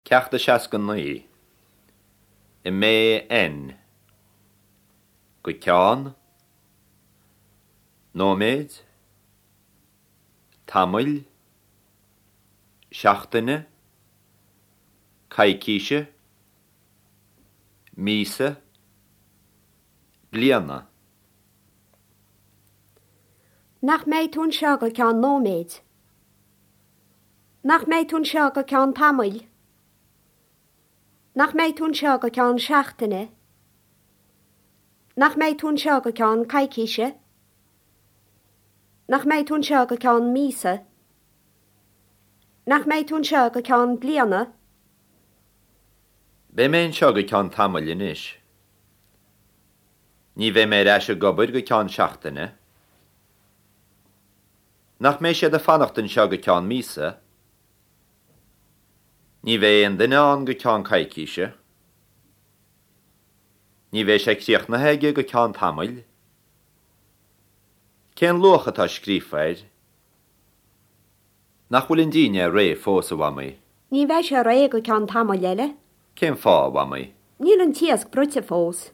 Ceacht a 69. I mBN. Go ceann. Nóiméid. Tamaill. Seachtaine. Coicíse. Míosa. Bliana. Nach mbeidh tú anseo go ceann nóiméid? Nach mbeidh tú anseo go ceann tamaill? Nach mbeidh tú anseo go ceann seachtaine? Nach mbeidh tú anseo go ceann coicíse? Nach mbeidh tú anseo go ceann míosa? Nach mbeidh tú anseo go ceann bliana? Beidh mé anseo go ceann tamaill anois. Ní bheidh mé ar ais ag obair go ceann seachtaine. Nach mbeidh siad ag fanacht anseo go ceann míosa? Ní bheidh aon duine ann go ceann coicíse. Ní bheidh sé críochnaithe aige go ceann tamaill. Cén luach atá scríofa air? Nach bhfuil an dínnéar réidh fós, a Mhamaí? Ní bheidh sé réidh go ceann tamaill eile. Cén fáth, a Mhamaí? Níl an t-iasc bruite fós.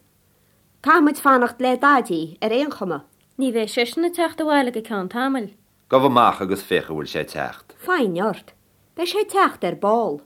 Caithfimid fanacht le Daidí, ar aon chuma. Ní bheidh seisean ag teacht abhaile go ceann tamaill. Gabh amach agus féach an bhfuil sé ag teacht. Foighne ort. Beidh sé ag teacht ar ball.